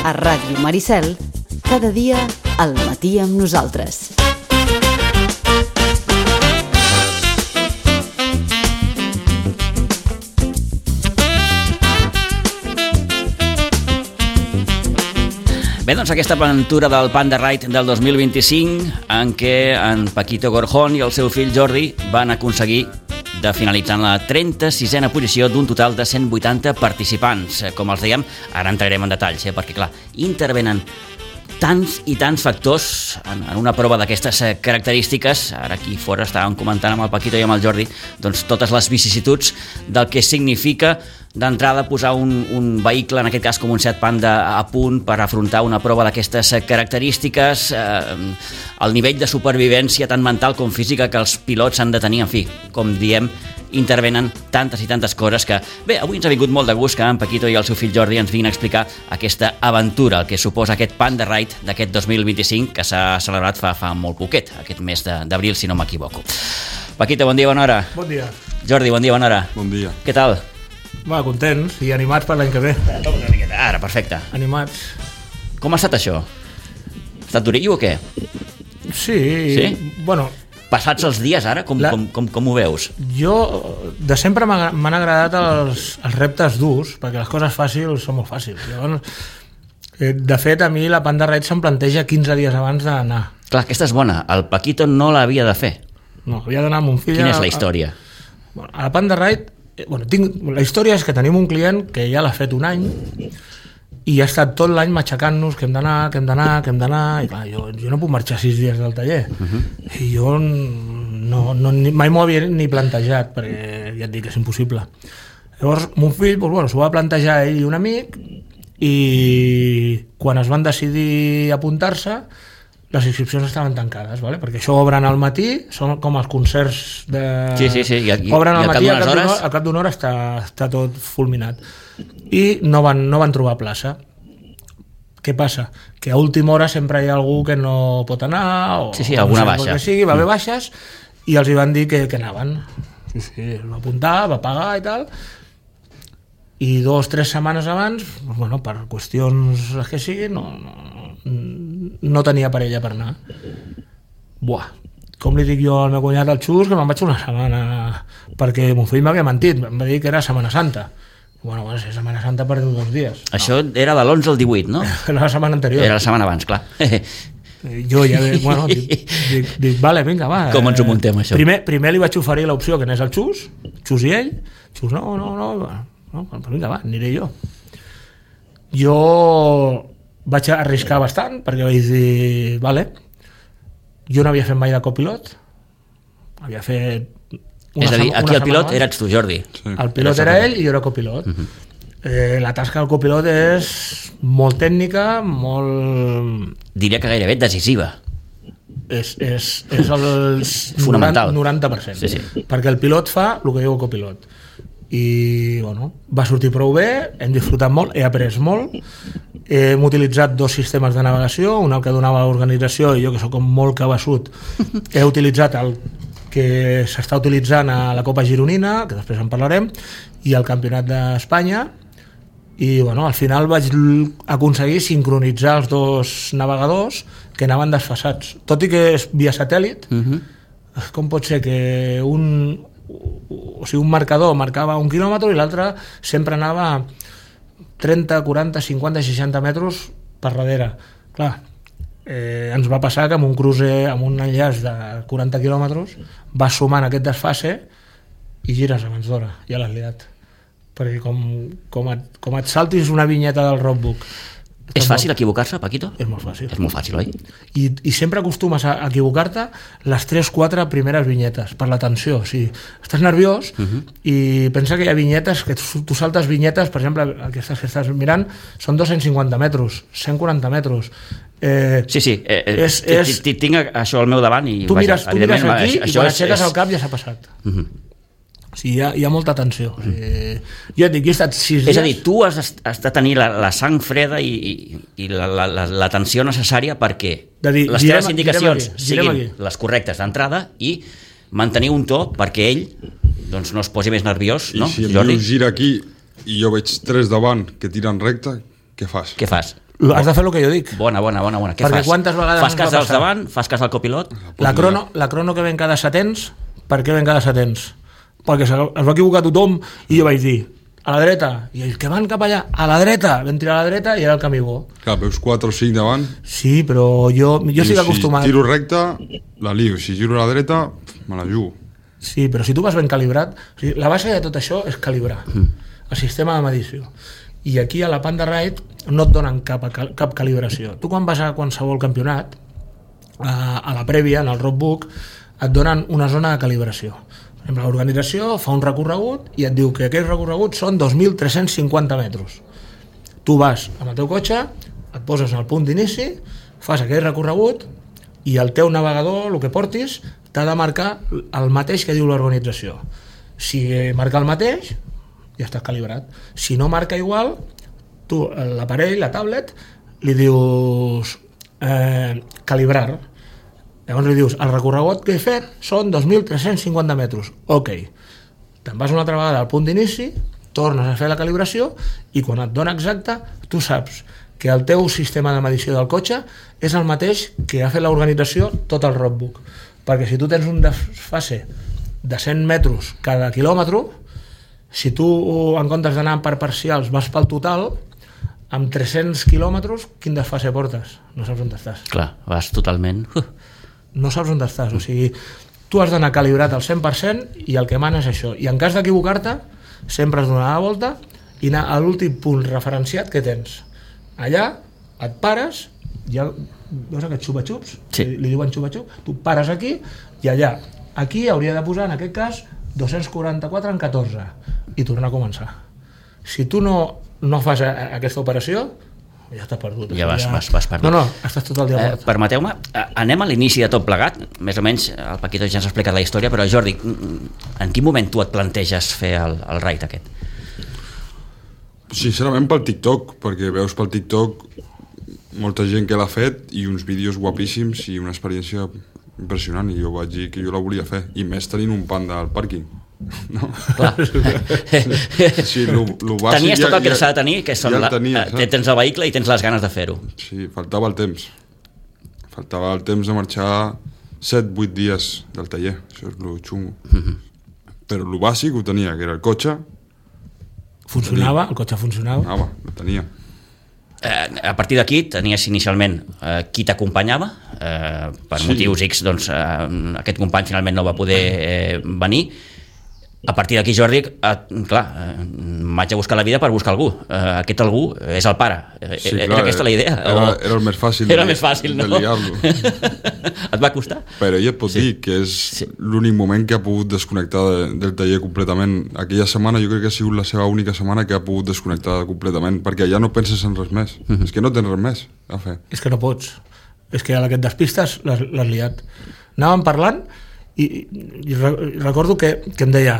A Ràdio Maricel, cada dia al matí amb nosaltres. Bé, doncs aquesta aventura del Panda Ride del 2025 en què en Paquito Gorjón i el seu fill Jordi van aconseguir de finalitzar en la 36a posició d'un total de 180 participants. Com els dèiem, ara entrarem en detalls, perquè clar, intervenen tants i tants factors en una prova d'aquestes característiques. Ara aquí fora estàvem comentant amb el Paquito i amb el Jordi doncs totes les vicissituds del que significa d'entrada posar un vehicle, en aquest cas com un Seat Panda, a punt per afrontar una prova d'aquestes característiques, el nivell de supervivència tant mental com física que els pilots han de tenir. En fi, com diem, intervenen tantes i tantes coses que, bé, avui ens ha vingut molt de gust que en Paquito i el seu fill Jordi ens vinguin a explicar aquesta aventura, el que suposa aquest Panda Ride d'aquest 2025 que s'ha celebrat fa molt poquet, aquest mes d'abril, si no m'equivoco. Paquito, bon dia, bona hora. Bon dia. Jordi, bon dia, bona hora. Bon dia. Què tal? Va, contents i animats per l'any que ve. Ara, perfecte. Animats. Com ha estat això? Ha estat durillo o què? Sí? Bueno... Passats els dies ara, com ho veus? Jo, de sempre m'han agradat els reptes durs, perquè les coses fàcils són molt fàcils. Llavors, de fet, a mi la Panda Ride se'm planteja 15 dies abans d'anar. Clar, aquesta és bona. El Paquito no l'havia de fer. No, havia d'anar amb un fill... Quina és la història? A la Panda Ride... la història és que tenim un client que ja l'ha fet un any i ha estat tot l'any matxacant-nos que hem d'anar, i clar, jo no puc marxar 6 dies del taller. I jo mai m'ho havia ni plantejat, perquè ja et dic que és impossible. Llavors, mon fill s'ho va plantejar ell i un amic, i quan es van decidir apuntar-se, les inscripcions estaven tancades, perquè això obren al matí, són com els concerts de... Sí. Obren al matí, al cap d'una hora està tot fulminat. I no van trobar plaça. Què passa? Que a última hora sempre hi ha algú que no pot anar, o alguna baixa. Que sigui, va haver baixes, i els hi van dir que anaven. Sí, es va apuntar, va pagar i tal, i 2 o 3 setmanes abans, per qüestions que sigui, no tenia parella per anar. Com li dic jo al meu cunyat al Xus, que me'n vaig una setmana, perquè mon fill m'havia mentit, em va dir que era Setmana Santa. Si Setmana Santa per 2 dies. Això era de l'11 al 18, no? Era la setmana anterior. Era la setmana abans, clar. Jo ja, dic, vale, vinga, va. Com ens ho muntem, això? Primer li vaig oferir l'opció que anés al Xus i ell. Xus, no, vinga, va, aniré jo. Jo vaig arriscar bastant, perquè vaig dir, vale, jo no havia fet mai de copilot, havia fet... És a dir, aquí el pilot eres tu, Jordi. Sí. El pilot era ell i jo era copilot. La tasca del copilot és molt tècnica, molt... Diria que gairebé decisiva. És el fonamental. 90%. Sí. Perquè el pilot fa el que diu el copilot. I, va sortir prou bé, hem disfrutat molt, he après molt, hem utilitzat 2 sistemes de navegació, un el que donava l'organització i jo, que soc molt cabeçut, he utilitzat el que s'està utilitzant a la Copa Gironina, que després en parlarem, i al Campionat d'Espanya, i al final vaig aconseguir sincronitzar els 2 navegadors que anaven desfasats. Tot i que és via satèl·lit, com pot ser que un marcador marcava 1 quilòmetre i l'altre sempre anava 30, 40, 50, 60 metres per darrere? Clar, ens va passar que amb un crucer, amb un enllaç de 40 quilòmetres, vas sumant aquest desfase i gires abans d'hora, ja l'has liat. Perquè com et saltis una vinyeta del roadbook... És fàcil equivocar-se, Paquito? És molt fàcil. És molt fàcil, oi? I sempre acostumes a equivocar-te les 3-4 primeres vinyetes, per la tensió. O sigui, estàs nerviós i pensa que hi ha vinyetes, que tu saltes vinyetes, per exemple, aquestes que estàs mirant, són 250 metres, 140 metres. Sí. Tinc això al meu davant i... Tu mires aquí i quan aixeques el cap ja s'ha passat. Sí, hi ha molta tensió. Jo et dic, jo he estat 6 dies... És a dir, tu has de tenir la sang freda i la tensió necessària perquè les teves indicacions siguin les correctes d'entrada i mantenir un to perquè ell no es posi més nerviós, no, Jordi? I si Jordi? el gira aquí i jo veig 3 davant que tiren recte, què fas? Has de fer el que jo dic. Bona. Què Perquè fas? quantes vegades Fas ens cas va dels passar? davant? Fas cas del copilot? La crono que ven cada setens, per què ven cada setens? Perquè es va equivocar tothom i jo vaig dir, a la dreta, i ells que van cap allà, a la dreta, vam tirar a la dreta i era el camí bo. Clar, veus 4 o 5 davant. Sí, però jo estic acostumat. Si tiro recte, la lio. Si giro a la dreta, me la jugo. Sí, però si tu vas ben calibrat, o sigui, la base de tot això és calibrar el sistema de medició. I aquí a la Panda Ride no et donen cap calibració. Tu quan vas a qualsevol campionat, a la prèvia, en el roadbook, et donen una zona de calibració. Per exemple, l'organització fa un recorregut i et diu que aquell recorregut són 2.350 metres. Tu vas amb el teu cotxe, et poses en el punt d'inici, fas aquell recorregut i el teu navegador, el que portis, t'ha de marcar el mateix que diu l'organització. Si marca el mateix, ja estàs calibrat. Si no marca igual, tu, l'aparell, la tablet, li dius calibrar. Llavors li dius, el recorregut que he fet són 2.350 metres. Ok. Te'n vas una altra vegada al punt d'inici, tornes a fer la calibració i quan et dona exacta, tu saps que el teu sistema de medició del cotxe és el mateix que ha fet l'organització tot el roadbook. Perquè si tu tens un desfase de 100 metres cada quilòmetre, si tu en comptes d'anar per parcials vas pel total, amb 300 quilòmetres quin desfase portes? No saps on estàs. Clar, vas totalment... No saps on estàs, o sigui, tu has d'anar calibrat al 100% i el que mana és això. I en cas d'equivocar-te, sempre has de donar la volta i anar a l'últim punt referenciat que tens. Allà et pares, ja veus aquests xupa-xups? Sí. Li diuen xupa-xup? Tu pares aquí i allà. Aquí hauria de posar, en aquest cas, 244 en 14 i tornar a començar. Si tu no fas aquesta operació, ja estàs perdut. Ja vas perdut. No, estàs tot el dia mort. Permeteu-me, anem a l'inici de tot plegat. Més o menys, el Paquito ja ens ha explicat la història, però Jordi, en quin moment tu et planteges fer el raid aquest? Sincerament pel TikTok, perquè veus pel TikTok molta gent que l'ha fet i uns vídeos guapíssims i una experiència impressionant, i jo vaig dir que jo la volia fer, i més tenint un panda al pàrquing. No? Clar. Sí, lo bàsic tenies tot el que s'ha de tenir, que són tens el vehicle i tens les ganes de fer-ho. Sí, faltava el temps de marxar 7-8 dies del taller, això és lo xungo. Però lo bàsic ho tenia, que era el cotxe. Funcionava, el cotxe funcionava. Lo tenia. A partir d'aquí tenies inicialment qui t'acompanyava, per motius X, doncs aquest company finalment no va poder venir. A partir d'aquí, Jordi, clar, m'haig de buscar la vida per buscar algú. Aquest algú és el pare. Sí, era clar, aquesta la idea? Era el més fàcil, no? De liar-lo. Et va costar? Però ella et pot dir que és l'únic moment que ha pogut desconnectar del taller completament. Aquella setmana jo crec que ha sigut la seva única setmana que ha pogut desconnectar completament, perquè ja no penses en res més. És que no tens res més a fer. És que no pots. És que a la que et despistes l'has liat. Anàvem parlant i recordo que em deia,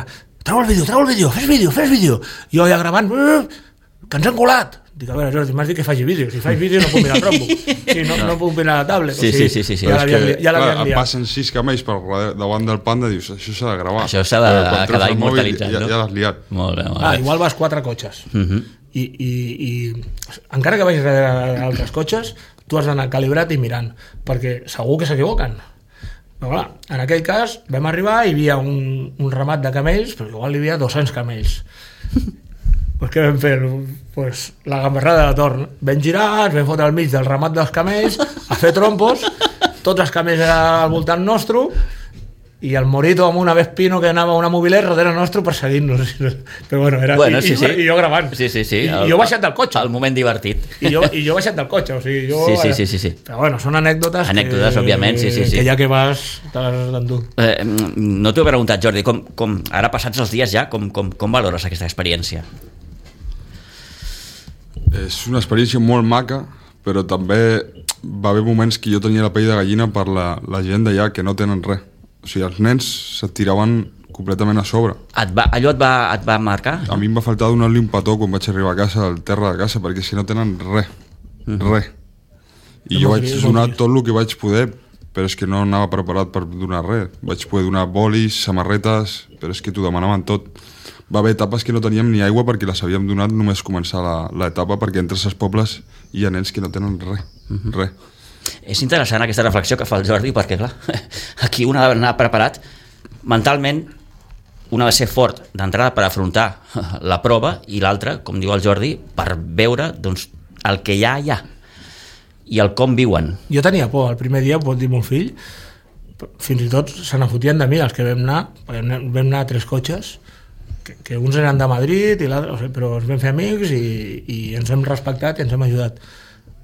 treu el vídeo, fes vídeo. Jo ja gravant, que ens han colat. Dic, a veure, Jordi, m'has dit que faci vídeo. Si faig vídeo no puc mirar el roadbook. Sí, no puc mirar la tablet. Sí. Ja l'havien liat. Passen 6 camells per davant del panda i dius, això s'ha de gravar. Això s'ha de quedar immortalitzat, no? Ja l'has liat. Molt bé. Igual vas 4 cotxes. I encara que vagis darrere d'altres cotxes, tu has d'anar calibrat i mirant, perquè segur que s'equivoquen. Però clar, en aquell cas vam arribar i hi havia un ramat de camells, però igual hi havia 200 camells. Pues què vam fer? Pues la gamberrada de torn. Vam girar, ens vam fotre al mig del ramat dels camells, a fer trompos, tots els camells eren al voltant nostre, i el Morito amb una Vespino que anava a una mobiler darrere nostre perseguint-nos. Però bueno, era... I jo gravant. Sí. I jo baixat del cotxe. El moment divertit. I jo baixat del cotxe, o sigui, jo... Sí. Però bueno, són anècdotes òbviament, sí. Que ja que vas, te les d'endur. No t'ho he preguntat, Jordi, ara passats els dies ja, com valores aquesta experiència? És una experiència molt maca, però també va haver moments que jo tenia la pell de gallina per la gent d'allà que no tenen res. O sigui, els nens se't tiraven completament a sobre. Allò et va marcar? A mi em va faltar donar-li un petó quan vaig arribar a casa, al terra de casa, perquè si no tenen res. I jo vaig donar tot el que vaig poder, però és que no anava preparat per donar res. Vaig poder donar bolis, samarretes, però és que t'ho demanaven tot. va haver etapes que no teníem ni aigua perquè les havíem donat només començar l'etapa, perquè entre els pobles hi ha nens que no tenen res. És interessant aquesta reflexió que fa el Jordi, perquè clar, aquí un ha d'anar preparat mentalment, un ha de ser fort d'entrada per afrontar la prova, i l'altre, com diu el Jordi, per veure doncs, el que hi ha i el com viuen. Jo tenia por, el primer dia, pot dir mon fill, fins i tot se n'afotien de mi els que vam anar, perquè vam anar a 3 cotxes, que uns eren de Madrid i l'altre, o sigui, però ens vam fer amics i ens hem respectat i ens hem ajudat.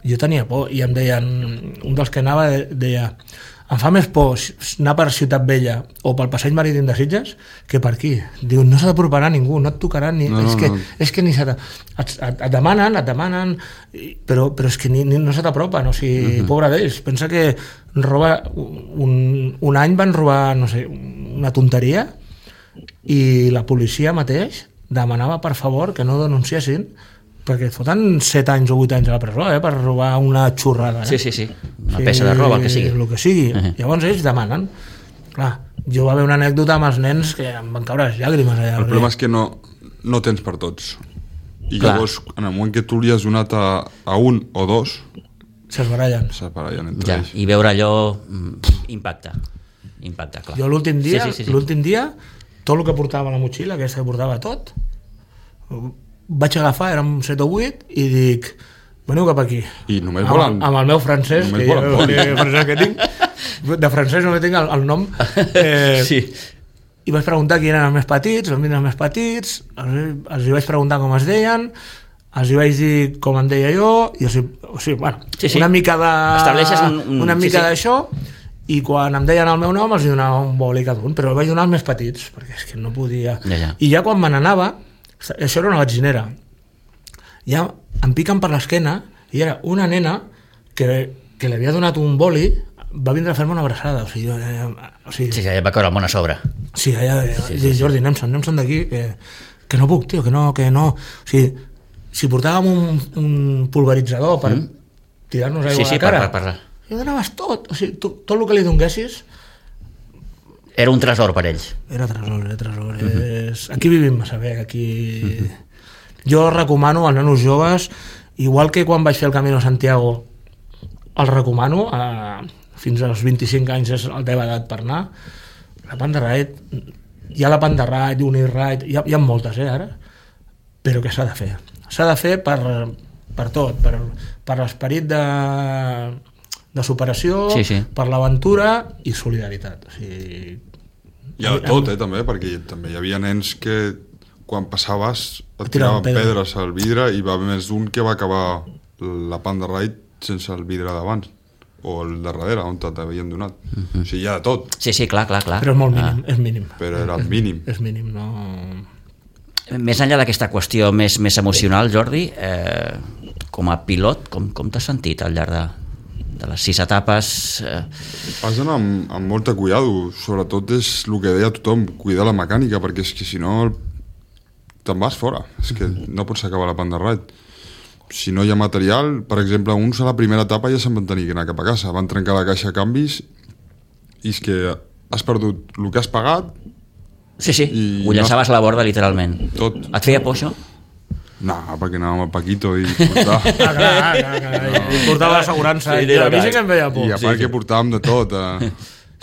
Jo tenia por i em deien, un dels que anava deia, em fa més por anar per Ciutat Vella o pel passeig marítim de Sitges que per aquí. Diu, no s'ha d'aproparà ningú, no et tocarà ni... No. És que ni se et demanen, però és que no se t'apropen, o sigui, pobre d'ells. Pensa que un any van robar, no sé, una tonteria, i la policia mateix demanava per favor que no denunciessin, perquè et foten 7 anys o 8 anys a la presó per robar una xurrada. Sí, una peça de roba, el que sigui. El que sigui. Llavors ells demanen. Clar, jo va haver una anècdota amb els nens que em van caure les llàgrimes allà. El problema és que no tens per tots. I Clar. llavors, en el moment que tu li has donat a un o dos, S'esbarallen. entre ells. I veure allò impacta, clar. Jo l'últim dia, Sí. tot el que portava a la motxilla, aquesta que portava tot, vaig agafar, érem 7 o 8, i dic, veniu cap aquí. I només volen... Amb el meu francès, que tinc, de francès només tinc el nom. Sí. I vaig preguntar qui eren els més petits, els més petits, els hi vaig preguntar com es deien, els hi vaig dir com em deia jo, i una mica de... Estableixes una mica d'això, i quan em deien el meu nom els hi donava un boli cada un, però el vaig donar als més petits, perquè és que no podia... Ja. I ja quan me n'anava, això era una batxinera, ja em piquen per l'esquena, i era una nena que li havia donat un boli, va vindre a fer-me una abraçada, o sigui, Sí, ja va caure el món a sobre. Sí, Jordi, anem-se'n d'aquí, que no puc, tio, que no... O sigui, si portàvem un pulveritzador per tirar-nos aigua a la cara, i donaves tot, o sigui, tot el que li donguessis... Era un tresor per ells. Era tresor. Aquí vivim massa bé, aquí... Jo recomano als nanos joves, igual que quan vaig fer el Camino Santiago, el recomano, fins als 25 anys és la teva edat per anar, la Panda Ride, hi ha la Panda Ride, Uniride, hi ha moltes, ara, però que s'ha de fer. S'ha de fer per tot, per l'esperit de superació, per l'aventura i solidaritat. O sigui, hi ha de tot, també, perquè també hi havia nens que quan passaves et tiraven pedres al vidre i va haver més d'un que va acabar la Panda Ride sense el vidre d'abans o el de darrere on t'havien donat. O sigui, hi ha de tot. Sí, clar. Però és molt mínim, és mínim. Però era el mínim. És mínim, no... Més enllà d'aquesta qüestió més emocional, Jordi, com a pilot, com t'has sentit al llarg de les 6 etapes? Has d'anar amb molta cuidado, sobretot és el que deia tothom, cuidar la mecànica, perquè és que si no te'n vas fora, és que no pots acabar la Panda Ride. Si no hi ha material, per exemple, uns a la primera etapa ja se'n van tenir que anar cap a casa, van trencar la caixa de canvis i és que has perdut el que has pagat. Sí, ho llançaves a la borda literalment. Tot. Et feia por això? No, perquè anàvem al Paquito i portava... I portava l'assegurança. I a mi sí que em feia por. I a part que portàvem de tot.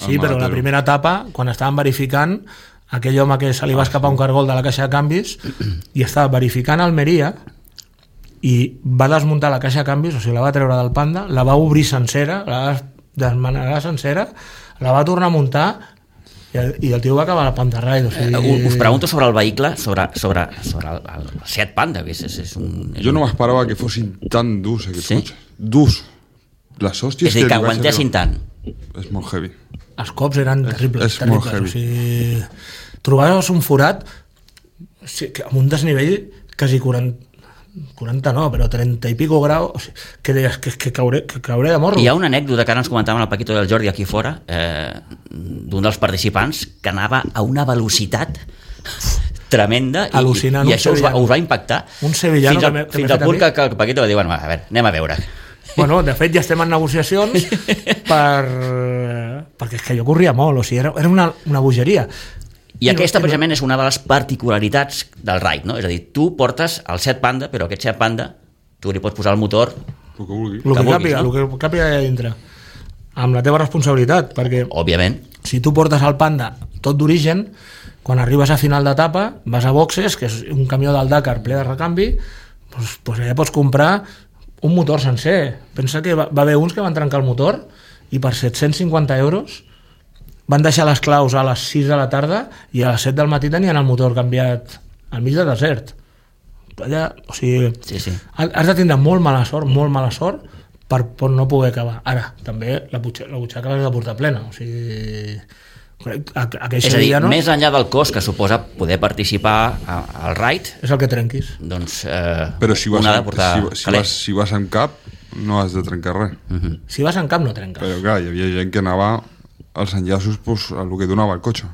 Sí, però la primera etapa, quan estàvem verificant, aquell home que se li va escapar un cargol de la caixa de canvis i estava verificant a Almeria i va desmuntar la caixa de canvis, o sigui, la va treure del Panda, la va obrir sencera, la va desmanegar sencera, la va tornar a muntar i el tio va acabar la Panda Ride. O sigui... Us pregunto sobre el vehicle, sobre el Seat Panda, que és un... Jo no m'esperava que fossin tan durs aquests cotxes. Durs. Les hòsties és a dir, que aguantessin tant. És molt heavy. Els cops eren terribles. És molt heavy. O sigui, trobaves un forat amb un desnivell quasi 40 no, però 30 i pico graus, o sigui, que deies que cauré de morro. Hi ha una anècdota que ara ens comentaven el Paquito i el Jordi aquí fora, d'un dels participants que anava a una velocitat tremenda i això us va impactar un sevillano fins al punt que el Paquito va dir, bueno, a veure, anem a veure. Bueno, de fet ja estem en negociacions perquè és que jo corria molt, o sigui, era una bogeria. I aquesta precisament és una de les particularitats del Ride, no? És a dir, tu portes el Seat Panda, però aquest Seat Panda tu li pots posar el motor El que vulgui. el que càpiga allà dintre, amb la teva responsabilitat, perquè òbviament. si tu portes el Panda tot d'origen, quan arribes a final d'etapa vas a boxes, que és un camió del Dakar ple de recanvi, doncs allà pots comprar un motor sencer. Pensa que va haver uns que van trencar el motor i per 750 euros van deixar les claus a les 6 de la tarda i a les 7 del matí tenien el motor canviat al mig del desert. Allà, o sigui, Sí. has de tindre molt mala sort per no poder acabar. Ara, també la butxaca l'has de portar plena, o sigui, És a dir, més enllà del cost que suposa poder participar al Ride, és el que trenquis. doncs Però si un ha de portar calés. si vas en cap, no has de trencar res. Si vas en cap no trenques. Però clar, hi havia gent que anava als enllaços pues, a el que donava el cotxe.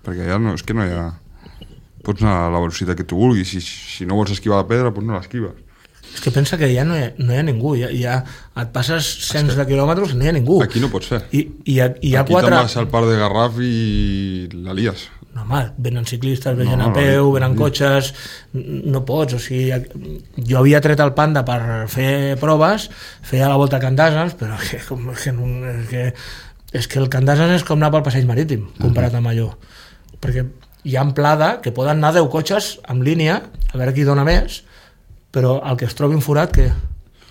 Perquè ja no, és que no hi ha... Pots anar a la velocitat que tu vulguis. Si no vols esquivar la pedra, doncs no l'esquives. És que pensa que ja no hi ha ningú, ja et passes cents de quilòmetres i no hi ha ningú. Aquí no pots fer. I hi ha Aquí quatre... te'n vas al parc de Garraf i la lies. No, home, venen ciclistes, venen a peu, venen cotxes, no pots, o sigui, jo havia tret el Panda per fer proves, feia la volta a Can d'Ases, però és que el Can d'Ases és com anar pel passeig marítim, comparat amb allò, perquè hi ha amplada que poden anar 10 cotxes en línia, a veure qui dona més, però el que es trobi un forat, que...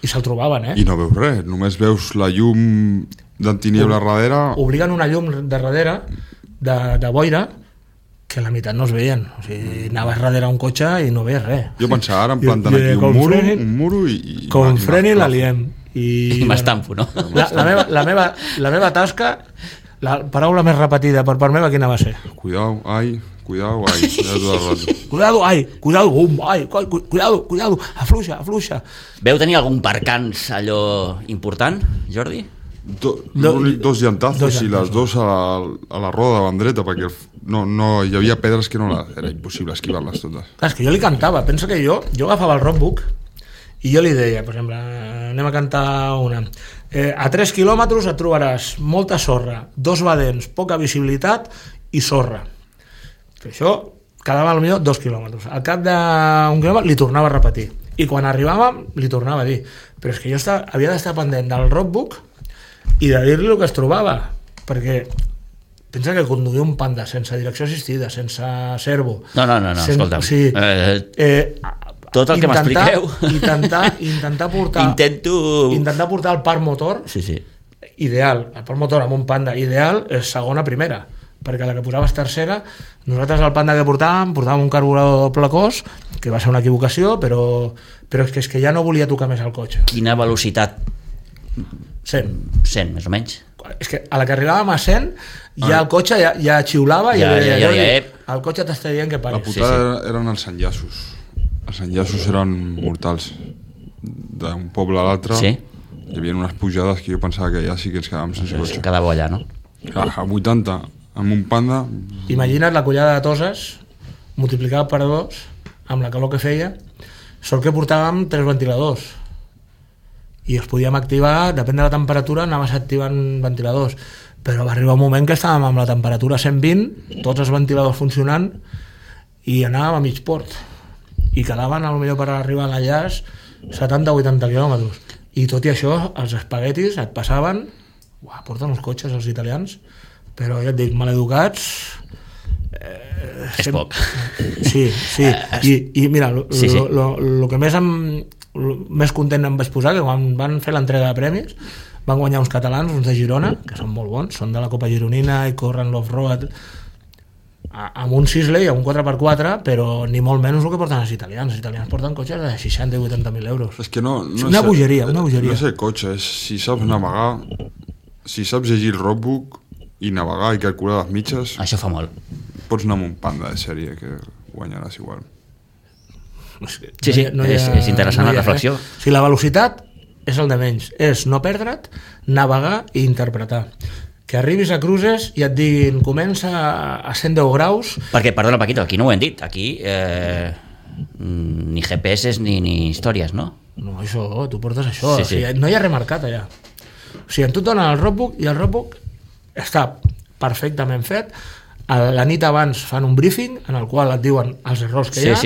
I se'l trobaven, I no veus res, només veus la llum d'antiniebla darrere. Obliguen una llum de darrere, de boira, que la meitat no es veien. O sigui, anaves darrere un cotxe i no veies res. Jo pensava, ara em planten aquí un muro i... Com freni la liem. I m'estampo, no? La meva tasca, la paraula més repetida per part meva, quina va ser? Cuidao, ai, ja tot el rato. Cuidado, afluixa. Veu tenir algun percans allò important, Jordi? Dos llantazos i les dos a la roda davant dreta, perquè no hi havia pedres que era impossible esquivar-les totes. Clar, és que jo li cantava, pensa que jo agafava el roadbook i jo li deia, per exemple, anem a cantar una, a 3 quilòmetres et trobaràs molta sorra, 2 badents, poca visibilitat i sorra. Això quedava potser 2 quilòmetres. Al cap d'un quilòmetre li tornava a repetir i quan arribàvem li tornava a dir, però és que jo havia d'estar pendent del roadbook i de dir-li el que es trobava, perquè pensa que conduir un Panda sense direcció assistida, sense servo, no, escolta'm, o sigui, tot el que m'expliqueu intentar portar el parc motor ideal, el parc motor amb un Panda ideal és segona-primera, perquè la que posaves tercera, nosaltres el Panda que portàvem un carburador doble cos, que va ser una equivocació, però és que ja no volia tocar més el cotxe. Quina velocitat? 100, més o menys. És que a la que arribàvem a 100 ja el cotxe ja xiulava i el cotxe t'està dient que paris. La putada eren els enllaços. Els enllaços eren mortals. D'un poble a l'altre hi havia unes pujades que jo pensava que ja sí que ens quedàvem sense cotxe. Quedava allà, no? A 80, amb un Panda... Imagina't la collada de Toses multiplicat per 2 amb la calor que feia. Sort que portàvem 3 ventiladors i els podíem activar, depèn de la temperatura anaves activant ventiladors, però va arribar un moment que estàvem amb la temperatura 120, tots els ventiladors funcionant i anàvem a mig port i quedaven potser per arribar a l'enllaç 70-80 quilòmetres i tot i això els espaguetis et passaven, porten uns cotxes els italians, però ja et dic, maleducats és poc. Sí. I mira, el que més content em vaig posar, que quan van fer l'entrega de premis van guanyar uns catalans, uns de Girona, que són molt bons, són de la Copa Gironina i corren l'off-road amb un Sisley, amb un 4x4, però ni molt menys el que porten els italians porten cotxes de 60 i 80.000 euros. És que no una bogeria. No és el cotxe, és si saps navegar, si saps llegir el roadbook i navegar i calcular les mitges, això fa molt. Pots anar amb un Panda de sèrie que guanyaràs igual. És interessant la reflexió. Si la velocitat és el de menys, és no perdre't, navegar i interpretar. Que arribis a cruces i et diguin comença a 110 graus... Perquè, perdona Paquito, aquí no ho hem dit, aquí ni GPS ni històries, no? No, això, tu portes això, o sigui, no hi ha remarcat allà. O sigui, tu et donen el roadbook i el roadbook està perfectament fet, la nit abans fan un briefing en el qual et diuen els errors que hi ha.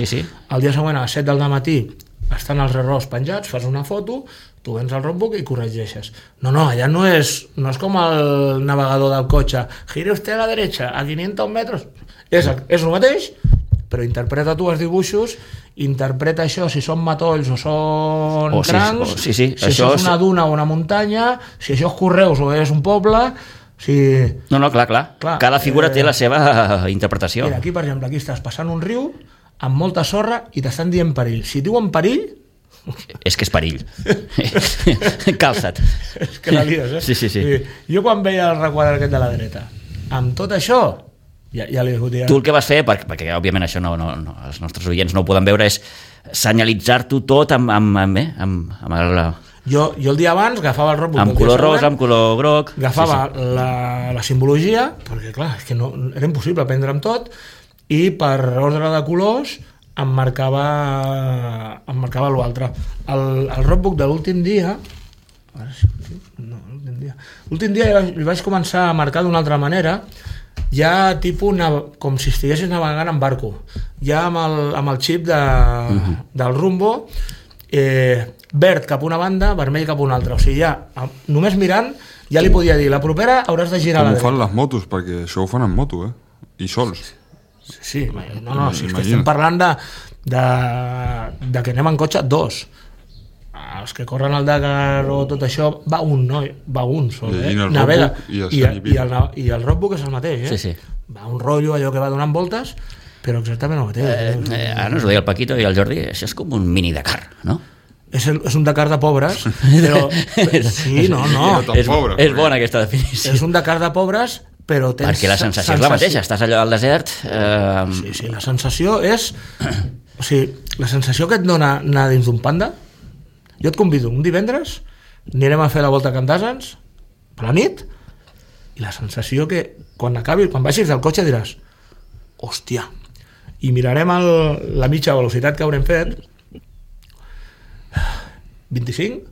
El dia següent a les 7 del matí estan els errors penjats, fas una foto, tu vens al roadbook i corregeixes. No, allà no és com el navegador del cotxe, gire usted a la derecha a 500 metros. És el mateix, però interpreta tu els dibuixos, interpreta això, si són matolls o són crancs, si això és una duna o una muntanya, si això és Correus o és un poble... No, clar. Cada figura té la seva interpretació. Mira, aquí, per exemple, aquí estàs passant un riu amb molta sorra i t'estan dient perill. Si diuen perill... És que és perill. Calça't. És que la lies, eh? Sí. Jo quan veia el requadre aquest de la dreta, amb tot això, ja li discutia. Tu el que vas fer, perquè òbviament això els nostres oients no ho poden veure, és senyalitzar-t'ho tot amb el... Jo el dia abans agafava el roadbook amb color rosa, amb color groc, agafava la simbologia, perquè clar, és que era impossible aprendre'm tot, i per ordre de colors em marcava l'altre. El roadbook de l'últim dia li vaig començar a marcar d'una altra manera, ja tipus com si estiguessis navegant en barco, ja amb el xip del rumbo, verd cap una banda, vermell cap una altra. O sigui, ja, només mirant, ja li podia dir, la propera hauràs de girar a la dreta. Com ho fan les motos, perquè això ho fan en moto, i sols. Sí, si estem parlant de que anem en cotxe dos. Els que corren al Dakar o tot això, va un sol, navega. I el roadbook és el mateix, Sí. Va un rotllo, allò que va donant voltes, però exactament el mateix. Ara ens ho deia el Paquito i el Jordi, això és com un mini Dakar, no? És un Dakar de pobres, però... Sí, no. És bona aquesta definició. És un Dakar de pobres, però tens... Perquè la sensació és la mateixa, estàs allò al desert... Sí, la sensació és... O sigui, la sensació que et dona anar dins d'un panda, jo et convido un divendres, anirem a fer la volta a Candasans, per la nit, i la sensació que quan baixis del cotxe diràs hòstia, i mirarem la mitja velocitat que haurem fet, 25?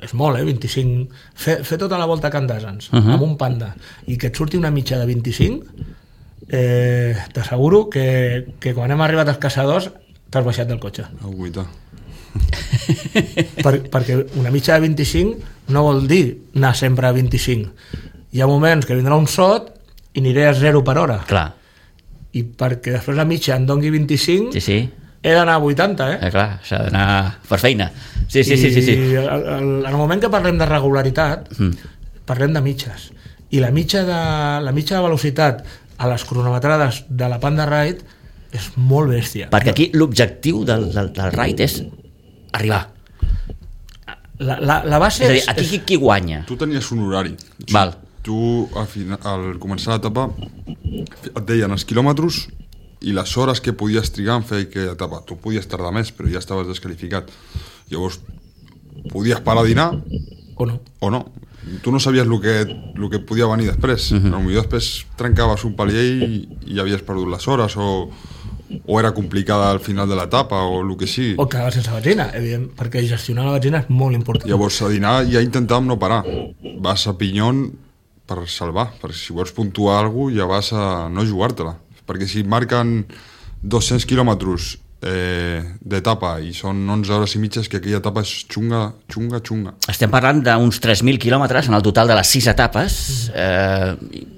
És molt, 25. Fer tota la volta a Candasans amb un panda i que et surti una mitja de 25, t'asseguro que quan hem arribat als caçadors t'has baixat del cotxe. Perquè una mitja de 25 no vol dir anar sempre a 25. Hi ha moments que vindrà un sot i aniré a 0 per hora. Clar. I perquè després la mitja em doni 25... Sí. He d'anar a 80, clar, s'ha d'anar per feina. Sí. I en el moment que parlem de regularitat, parlem de mitges. I la mitja de velocitat a les cronometrades de la Panda Ride és molt bèstia. Perquè aquí l'objectiu del ride és arribar. La base és a dir, aquí qui guanya? Tu tenies un horari. Val. Tu, al començar l'etapa, et deien els quilòmetres i les hores que podies trigar en fer aquella etapa. Tu podies tardar més, però ja estaves desqualificat. Llavors, podies parar a dinar o no. Tu no sabies el que podia venir després. Potser després trencaves un palier i havies perdut les hores, o era complicada al final de l'etapa, o el que sigui. O quedaves sense benzina, evident, perquè gestionar la benzina és molt important. Llavors, a dinar ja intentàvem no parar. Vas a Pinyon per salvar, perquè si vols puntuar alguna cosa ja vas a no jugar-te-la. Perquè si marquen 200 quilòmetres d'etapa i són 11 hores i mitja, que aquella etapa és xunga. Estem parlant d'uns 3.000 quilòmetres en el total de les 6 etapes,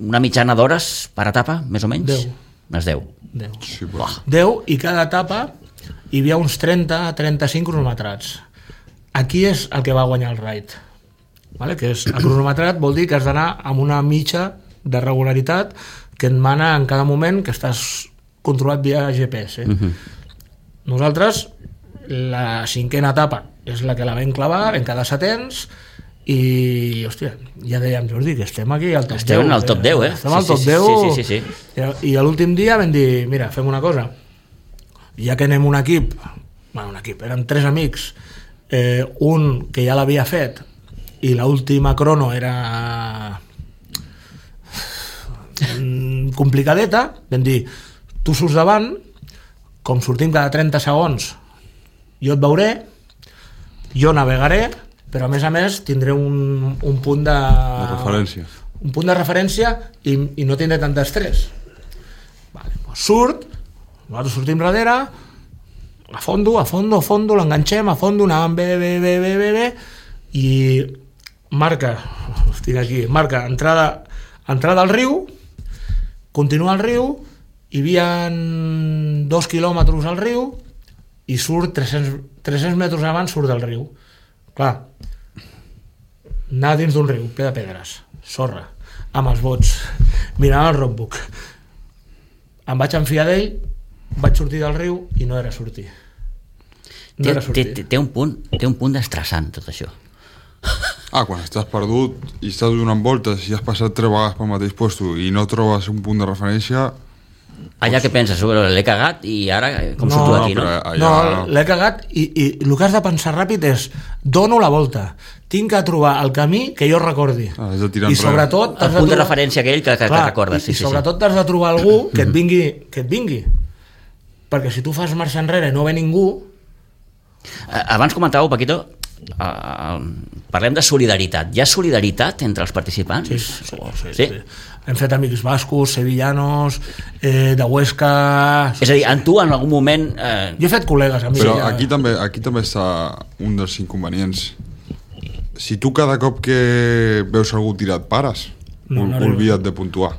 una mitjana d'hores per etapa, més o menys? 10. 10. Sí, 10, i cada etapa hi havia uns 30-35 cronometrats. Aquí és el que va guanyar el ride, vale? Que és el cronometrat, vol dir que has d'anar amb una mitja de regularitat que et mana en cada moment, que estàs controlat via GPS. Nosaltres, la 5a etapa és la que la vam clavar, vam quedar 7ens, i, hòstia, ja dèiem, Jordi, que estem aquí al top 10. Estem al top 10, Estem al top 10. Sí. I a l'últim dia vam dir, mira, fem una cosa, ja que anem un equip, eren 3 amics, un que ja l'havia fet, i l'última crono era complicadeta, vam dir, tu surts davant, com sortim cada 30 segons, jo et veuré, jo navegaré, però a més tindré un punt de referència. Un punt de referència i no tindré tant d'estrès. Surt, nosaltres sortim darrere, a fondo, l'enganxem, a fondo, anàvem bé, i marca entrada al riu, continua el riu, hi havia 2 quilòmetres al riu, i surt 300 metres abans surt del riu. Clar, anar dins d'un riu, ple de pedres, sorra, amb els bots, mirant el roadbook. Em vaig enfiar d'ell, vaig sortir del riu i no era sortir. Té un punt estressant tot això. Quan estàs perdut i estàs donant voltes i has passat 3 vegades pel mateix puesto i no trobes un punt de referència... Allà què penses? L'he cagat i ara com surto d'aquí, no? No, l'he cagat i el que has de pensar ràpid és dono la volta, tinc que trobar el camí que jo recordi. I sobretot... El punt de referència aquell que recordes. I sobretot t'has de trobar algú que et vingui. Perquè si tu fas marxa enrere i no ve ningú... Abans comentàveu, Paquito, parlem de solidaritat. Hi ha solidaritat entre els participants? Sí. Hem fet amics bascos, sevillanos, de Huesca... És a dir, en tu en algun moment... Jo he fet col·legues, amics. Però aquí també està un dels inconvenients. Si tu cada cop que veus algú tirat pares, oblida't de puntuar.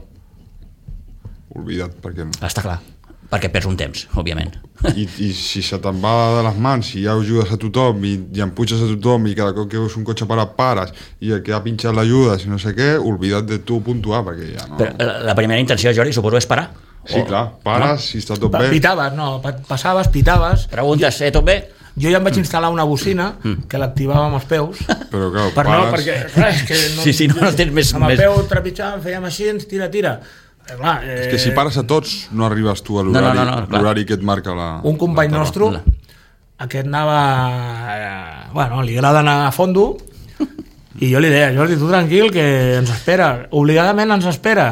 Oblida't, perquè... Està clar, perquè perds un temps, òbviament. I si se te'n va de les mans, si ja ajudes a tothom i empuixes a tothom i cada cop que veus un cotxe parat pares i el que ha pinxat l'ajuda, si no sé què, oblida't de tu puntuar, perquè ja no... Però la primera intenció, Jordi, suposo és parar? Sí, clar, pares, si està tot bé... Pitaves, passaves, pitaves... Preguntes, tot bé? Jo ja em vaig instal·lar una bocina que l'activava amb els peus. Però clar, és que no tens més... Amb el peu trepitjàvem, fèiem així, tira. Clar, és que si pares a tots no arribes tu a l'horari que et marca la... Un company nostre, aquest anava... li agrada anar a fondo, i jo li deia, Jordi, tu tranquil, que ens espera, obligadament ens espera,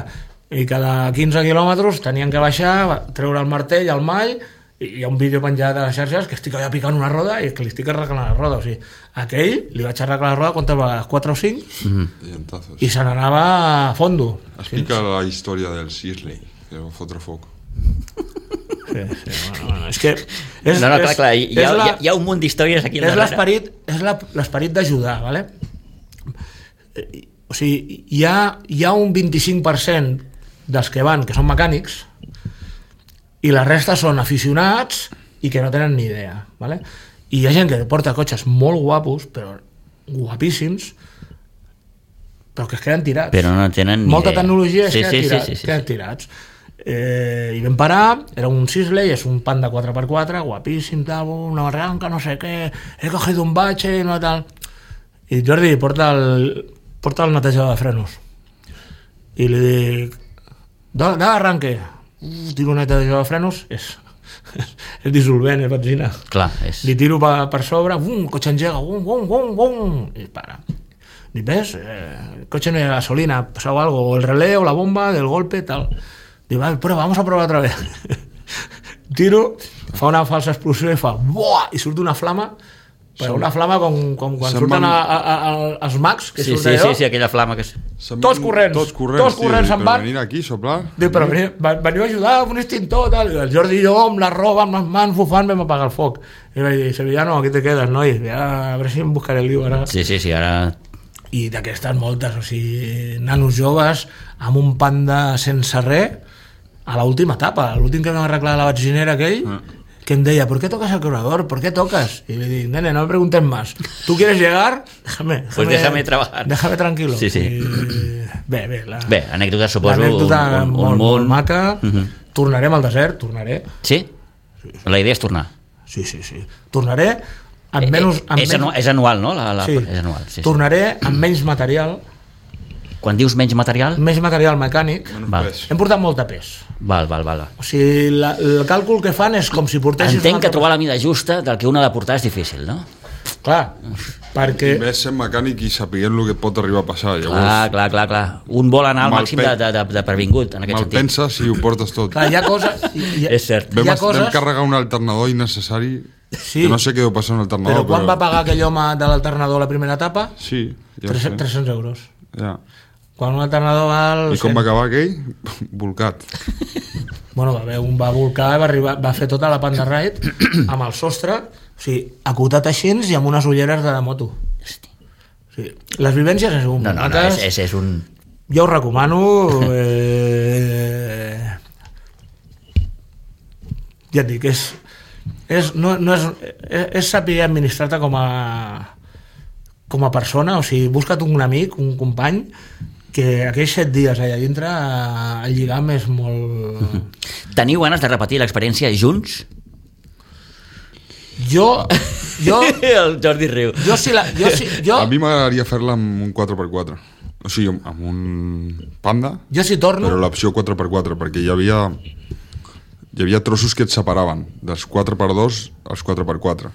i cada 15 quilòmetres tenien que baixar, treure el martell, el mall, i hi ha un vídeo penjat a les xarxes que estic allà picant una roda i que li estic arreglant la roda, o sigui, aquell li vaig arreglar la roda quantes vegades, 4 o 5, i se n'anava a fondo. Explica la història del Sisley, que va fotre foc. Sí, és que... clar, hi ha un munt d'històries aquí al darrere. És l'esperit d'ajudar, ¿vale? O sigui, hi ha un 25% dels que van que són mecànics i la resta són aficionats i que no tenen ni idea, ¿vale? I hi ha gent que porta cotxes molt guapos, però guapíssims, però que es queden tirats. Però no tenen ni molta idea. Tecnologia queden tirats. I vam parar, era un Sisley, és un Panda 4x4, guapíssim, tal, una barranca, no sé què, he cogido un bache, no tal... I Jordi porta el netejador de frenos. I li dic, de arranque. Tiro un netejador de frenos, és dissolvent, és benzina. Clar, és... Li tiro per sobre, el cotxe engega, i para. Dic, ves, el cotxe no hi ha gasolina, pasó algo, o el relé, o la bomba, del golpe, tal. Dic, vamos a probar otra vez. Tiro, fa una falsa explosió i fa, buah, i surt una flama, però una flama com quan surten els mags, que surten allò. Sí, aquella flama que... Tots corrents se'n van. Venir aquí, soplar. Dic, però veniu a ajudar amb un extintor, tal. El Jordi i jo, amb la roba, amb les mans, bufant, vam apagar el foc. I vaig dir, Sevillano, aquí te quedes, noi. A veure si em buscaré el lío ara. Sí, ara... I d'aquestes moltes, o sigui, nanos joves, amb un Panda sense res, a l'última etapa, l'últim que vam arreglar la benzinera aquell, que em deia, ¿por qué tocas el carburador? ¿Por qué tocas? Y le dije, nene, no me preguntes más. ¿Tú quieres llegar? Déjame trabajar. Déjame tranquilo. Sí. Bé, anècdota, suposo. L'anècdota molt maca. Tornarem al desert, tornaré. Sí? La idea és tornar. Sí. Tornaré amb menys... És anual, no? Sí. És anual. Sí. Tornaré amb menys material. Quan dius menys material? Menys material mecànic. Hem portat molta pes. Val. O sigui, el càlcul que fan és com si portessis... Entenc que trobar la mida justa del que un ha de portar és difícil, no? Clar, perquè... I més sent mecànic i sapiguent el que pot arribar a passar. Llavors, clar. Un vol anar al màxim de pervingut, en aquest sentit. Mal pensa si ho portes tot. Clar, hi ha coses... És cert. Vam carregar un alternador innecessari, que no sé què deu passar un alternador. Però quan va pagar aquell home de l'alternador la primera etapa? Sí, ja 300 euros. Ja. Quan un alternador val... I com va acabar aquell? Volcat. Bueno, va volcar, va fer tota la Panda Ride amb el sostre, o sigui, acotat així i amb unes ulleres de moto. Hosti. O sigui, les vivències és un... és un... Jo ho recomano. Ja et dic, és saber administrar-te com a persona, o sigui, busca't un amic, un company, que aquells 7 dies allà dintre el lligam és molt... Teniu ganes de repetir l'experiència junts? Jo... El Jordi riu. Jo, A mi m'agradaria fer-la amb un 4x4. O sigui, amb un Panda, jo si torno... però l'opció 4x4, perquè hi havia trossos que et separaven dels 4x2 als 4x4.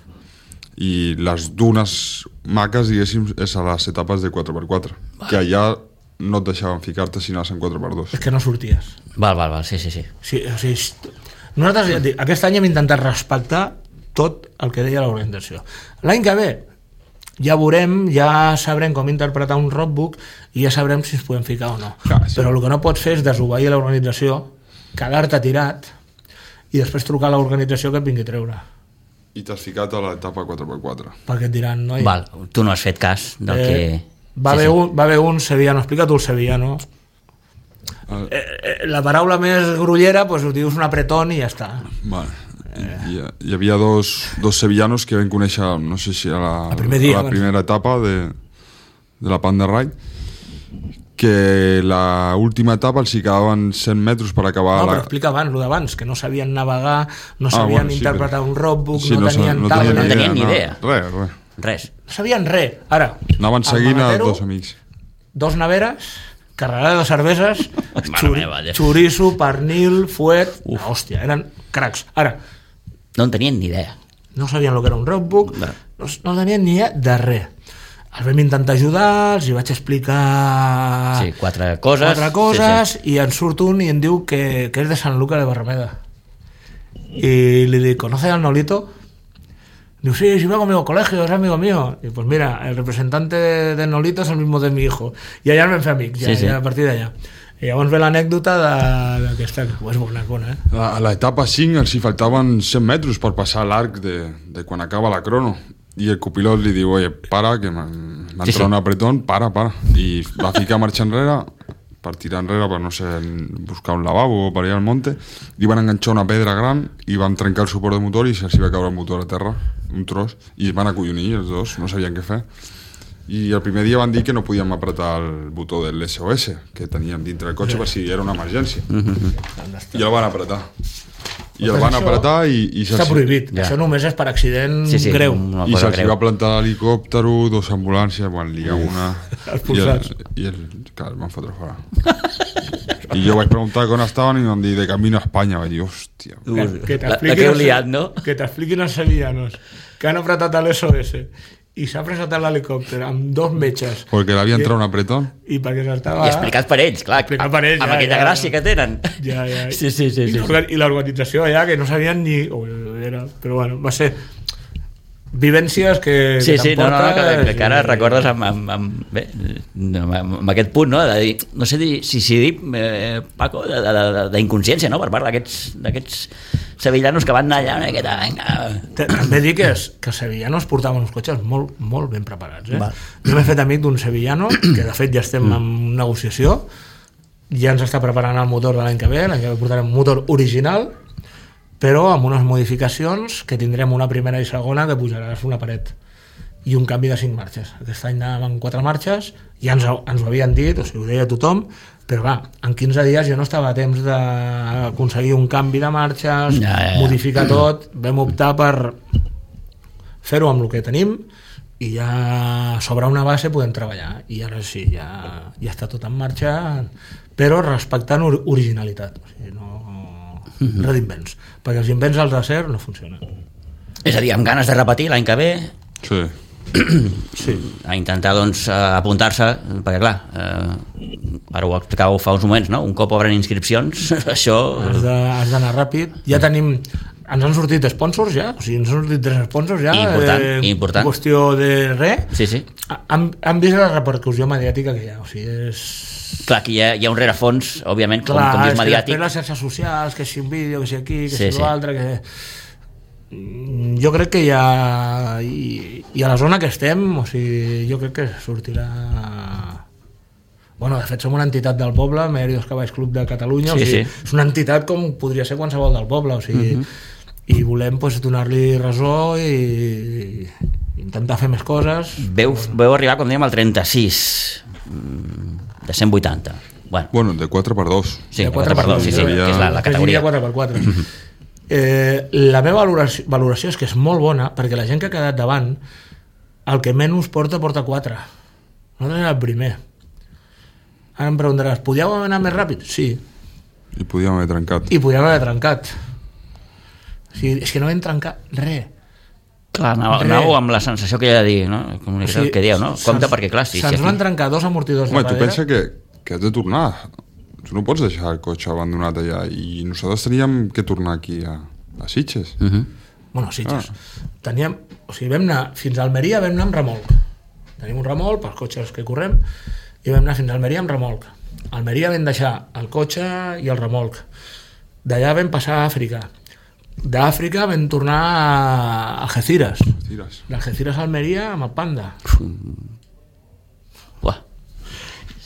I les dunes maques, diguéssim, és a les etapes de 4x4, que allà no et deixaven ficar-te si anaves en 4x2. És que no sorties. Val, sí. Sí, o sigui, nosaltres ja et dic, aquest any hem intentat respectar tot el que deia l'organització. L'any que ve ja veurem, ja sabrem com interpretar un roadbook i ja sabrem si ens podem ficar o no. Clar, sí. Però el que no pots fer és desobeir l'organització, quedar-te tirat i després trucar a l'organització que et vingui a treure. I t'has ficat a l'etapa 4x4. Perquè et diran, noi... Val, tu no has fet cas del que... Va haver un sevillano, explica tu el sevillano. La paraula més grollera, pues ho dius un apretón i ja està. Vale. Hi havia dos sevillanos que vam conèixer, no sé si a la primera etapa de la Panda Ride, que la última etapa els hi quedaven 100 metres per acabar... No, però explica abans, el d'abans, que no sabien navegar, no sabien interpretar un roadbook, sí, no tenien tablet... No tenien ni idea. Res. No sabien res. Ara, anaven seguint a dos amics. 2 neveres, carregada de cerveses, meva, xoriço, pernil, fuet... Hòstia, eren cracs. Ara, no en tenien ni idea. no sabien el que era un roadbook, no tenien ni idea de res. Els vam intentar ajudar, els hi vaig explicar... Sí, 4 coses, sí. I en surt un i em diu que és de Sant Luca de Barrameda. Y le digo, ¿conoce al Nolito? Digo, sí, va conmigo al colegio, es amigo mío. Y pues mira, el representante de Nolito es el mismo de mi hijo. I allà ens vam fer amics, ja a partir d'allà. I llavors ve l'anècdota d'aquesta, que és bona, A l'etapa 5 els hi faltaven 100 metres per passar l'arc de quan acaba la crono. I el copilot li diu, oye, para, que m'ha entrat un apretón, para. I va ficar marxa enrere, per tirar enrere, per no sé, buscar un lavabo o per allà al monte, li van enganxar una pedra gran i van trencar el suport de motor i se'ls va caure el motor a terra, un tros, i es van acollonir els dos, no sabien què fer. I el primer dia van dir que no podíem apretar el botó del SOS que teníem dintre del cotxe per si era una emergència. I el van apretar. I el van apretar i està prohibit, això només és per accident greu. I se'ls va plantar l'helicòptero, 2 ambulàncies, van liar una i clar, el van fotre fora. I jo vaig preguntar on estaven i em van dir de camino a Espanya. Vaig dir, hòstia, la que heu liat, no? Que t'expliquin els sevillanos que han apretat l'SOS i s'ha presentat l'helicòpter amb 2 metges perquè l'havia entrat un apretón i perquè s'estava... I explicat per ells, clar, amb aquella gràcia que tenen. Sí. I l'organització allà que no sabien ni... Però bueno, va ser vivències que t'emportes... que ara recordes amb aquest punt, no? De dir, no sé si dir, Paco, d'inconsciència, no? Per part d'aquests sevillanos que van anar allà una miqueta, vinga. També dic que els sevillanos portaven uns cotxes molt, molt ben preparats. Jo m'he fet amic d'un sevillano, que de fet ja estem en negociació, ja ens està preparant el motor de l'any que ve portarem un motor original, però amb unes modificacions que tindrem una primera i segona que pujaràs una paret i un canvi de 5 marxes. Aquest any anàvem amb 4 marxes, ja ens ho havien dit, o sigui, ho deia tothom, però clar, en 15 dies jo no estava a temps d'aconseguir un canvi de marxes, modificar tot, vam optar per fer-ho amb el que tenim i ja sobre una base podem treballar i ara sí, ja està tot en marxa, però respectant originalitat, o sigui, no res d'invents, perquè els invents als d'acer no funcionen. És a dir, amb ganes de repetir l'any que ve, a intentar doncs apuntar-se, perquè clar, ara ho explicàveu fa uns moments, no? Un cop obren inscripcions, això... Has d'anar ràpid. Ja tenim ens han sortit sponsors ja, o sigui, ens han sortit 3 sponsors ja. Important. Qüestió de res. Sí. Han vist la repercussió mediàtica que hi ha, o sigui, és... Clar, que hi ha un rerefons, òbviament, com és mediàtic. Clar, les xarxes socials, que si un vídeo, que si aquí, que si l'altre, que... Jo crec que ja... I a la zona que estem, o sigui, jo crec que sortirà... Bueno, de fet, som una entitat del poble, Meridos Cavalls Club de Catalunya, o sigui, és una entitat com podria ser qualsevol del poble, o sigui, i volem donar-li resó i intentar fer més coses. Veu arribar, com dèiem, al 36 de 180. Bueno, de 4x2. Sí, de 4x2, sí, que és la categoria. 4x4. La meva valoració és que és molt bona, perquè la gent que ha quedat davant, el que menys porta 4. Nosaltres era el primer. Ara em preguntaràs, podíeu haver anat més ràpid? Sí. I podíem haver trencat. O sigui, és que no vam trencar res. Clar, anàveu amb la sensació que hi ha de dir, no? Com que dieu, no? Compte perquè, clar, sí. Se'ns van trencar 2 amortidors de darrere. Tu pensa que has de tornar. Tu no pots deixar el cotxe abandonat allà i nosaltres teníem que tornar aquí a Sitges. Bueno, Sitges. Teníem, o sigui, vam anar fins a Almeria, vam anar amb remolc. Tenim un remolc pels cotxes que correm i vam anar fins a Almeria amb remolc. A Almeria vam deixar el cotxe i el remolc. D'allà vam passar a Àfrica. D'Àfrica vam tornar a Algeciras. D'Algeciras a Almeria amb el Panda.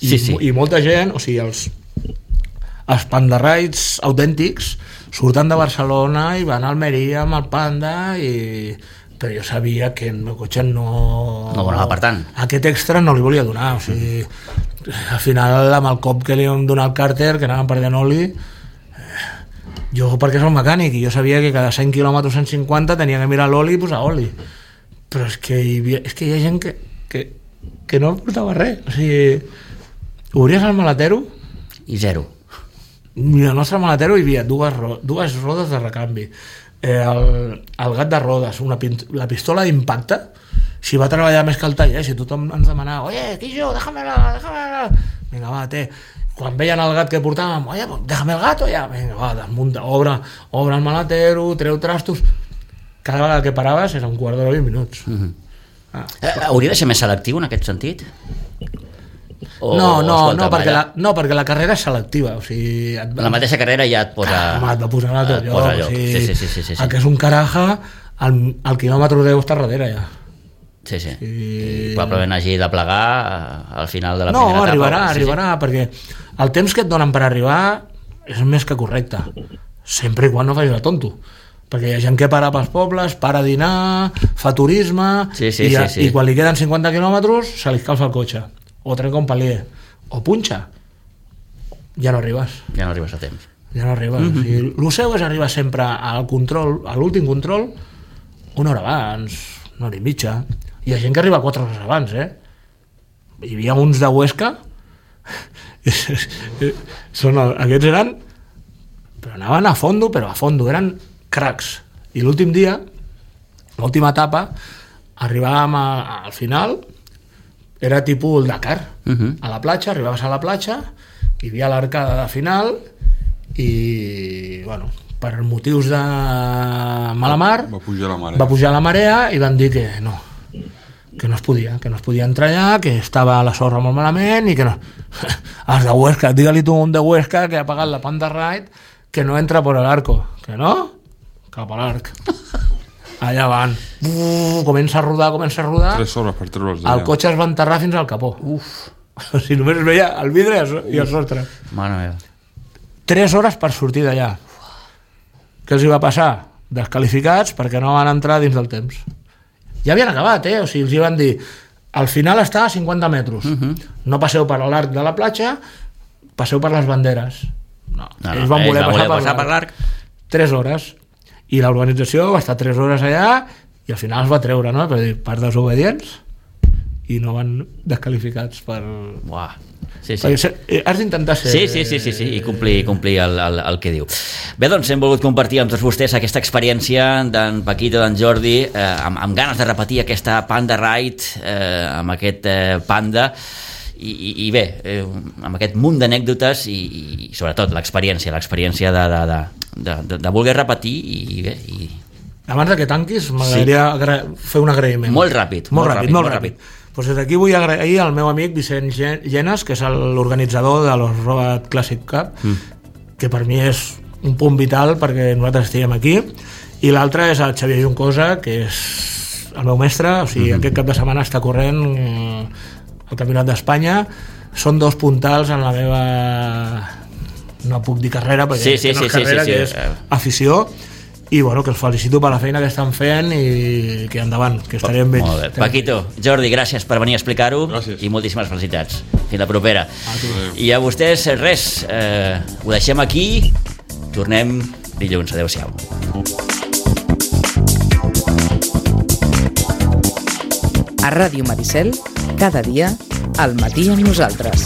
I molta gent, o sigui, els Panda Rides autèntics surten de Barcelona i van a Almeria amb el Panda però jo sabia que el meu cotxe no donava per tant. Aquest extra no li volia donar, o sigui, al final amb el cop que li vam donar al càrter, que anàvem perdent oli, jo perquè soc mecànic i jo sabia que cada 100 km 150 tenia que mirar l'oli i posar oli, però és que hi ha gent que no portava res, o sigui, obries el maletero i zero. I al nostre maletero hi havia dues rodes de recanvi, el gat de rodes, la pistola d'impacte. Si va treballar més que el taller, si tothom ens demanava, oye, Quillo, déjamela, vinga, va, quan veien el gat que portàvem, oye, déjame el gato ja, vinga, va, desmunta, obre el maletero, treu trastos, cada vegada que paraves era un quart d'hora 20 minuts. Hauria de ser més selectiu en aquest sentit? Perquè la carrera és selectiva, o sigui, la mateixa carrera ja et posa... et va posar a tot lloc, o sigui, sí. el que és un caraja, el quilòmetre 10 està darrere ja. Sí. I probablement hagi de plegar al final de la primera etapa. Arribarà, perquè el temps que et donen per arribar és més que correcte, sempre i quan no facis el tonto, perquè hi ha gent que para pels pobles, para a dinar, fa turisme, i quan li queden 50 quilòmetres se li escalfa el cotxe, o trenca un palier, o punxa, ja no arribes a temps. O sigui, el seu és arribar sempre al control, a l'últim control, una hora abans, una hora i mitja. Hi ha gent que arriba 4 hores abans, Hi havia uns de Huesca, aquests eren, però anaven a fondo, eren cracs. I l'últim dia, l'última etapa, arribàvem al final, era tipus el Dakar, a la platja, arribaves a la platja, hi havia l'arcada de final, i, bueno, per motius de mala mar, va pujar la marea i van dir que no es podia entrar allà, que estava la sorra molt malament i que no. Els de Huesca, digue-li tu un de Huesca que ha pagat la Panda Ride que no entra per l'arco, que no? Cap a l'arc. Allà van. Comença a rodar. 3 hores per treure'ls d'allà. El cotxe es va enterrar fins al capó. O sigui, només es veia el vidre i el sostre. Mare meva. 3 hores per sortir d'allà. Què els hi va passar? Descalificats perquè no van entrar dins del temps. Ja havien acabat, o sigui, els hi van dir al final està a 50 metres. No passeu per l'arc de la platja, passeu per les banderes. No, ells van voler passar per l'arc 3 hores. I l'organització va estar 3 hores allà i al final es va treure, no? Per desobedients, i no van descalificats per... Uah. Sí. Has d'intentar ser... Sí, i complir el que diu. Bé, doncs hem volgut compartir amb tots vostès aquesta experiència d'en Paquito, d'en Jordi, amb ganes de repetir aquesta Panda Ride, amb aquest Panda, i bé, amb aquest munt d'anècdotes i sobretot l'experiència de voler repetir i bé, abans que tanquis m'agradaria fer un agraïment molt ràpid. Pues des d'aquí vull agrair al meu amic Vicent Llenas, que és l'organitzador de los Road Classic Cup, que per mi és un punt vital perquè nosaltres estiguem aquí, i l'altre és el Xavier Juncosa, que és el meu mestre, o sigui, aquest cap de setmana està corrent el Campionat d'Espanya. Són 2 puntals en la meva, no puc dir carrera perquè no és carrera, que és afició, i bueno, que els felicito per la feina que estan fent i que endavant, que estarem bé. Molt bé. Paquito, Jordi, gràcies per venir a explicar-ho. Gràcies. I moltíssimes felicitats. Fins la propera. I a vostès res, ho deixem aquí, tornem dilluns. Adéu-siau. A Ràdio Maricel, cada dia, al matí amb nosaltres.